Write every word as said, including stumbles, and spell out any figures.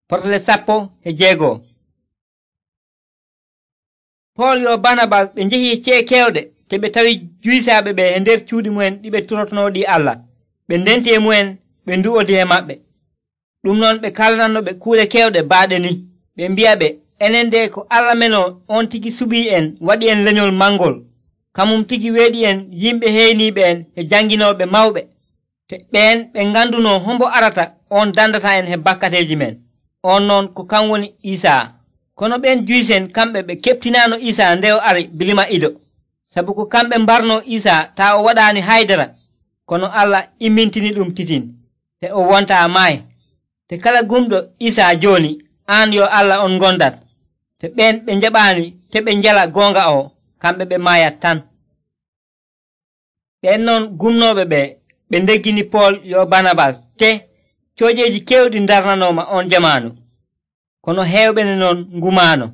Potle sappo e jeegoo. Pool yo Barnabas ɓe njehi ce'e kewɗe te ɓe tawi juysaaɓe ɓe e nder cuuɗi mu'en ɗi ɓe turotonooɗi Allah. Ɓe ndenti e mu'en ɓe ndu'odi e maɓɓe. Ɗum noon ɓe kalananoɓe kuuɗe kewɗe baaɗe ni. Ɓe mbi'aɓe enen de ko Allah meno on tigi suɓii en waɗi en lenyol mangol. Kamum tigi weeɗi en yimɓe heyniiɓe en e janginooɓe mawɓe. Te ɓeen ɓe ngandunoo hombo arata on dandata en he bakkateeji men. On noon ko kan woni Iisaa. Kono ɓen juysen kamɓe ɓe keɓtinaano Iisaa nde o ari bilima ido. Sabu ko kamɓe mbarnoo Iisaa taa o waɗaani haydara. Kono Allah immintini ɗum titin, te o wontaa maayi. Te kala gumɗo Iisaa jooni, aan yo Allah on ngondat. Te ɓen ɓe njaɓaani te ɓe njala goonga o, kamɓe ɓe maayat tan. Ɓen noon gumnooɓe ɓe ɓe ndeggini Pool yo Barnabas te coojeeji keewɗi ndarnanooma on jamaanu. Kono heewɓe non ngumaano.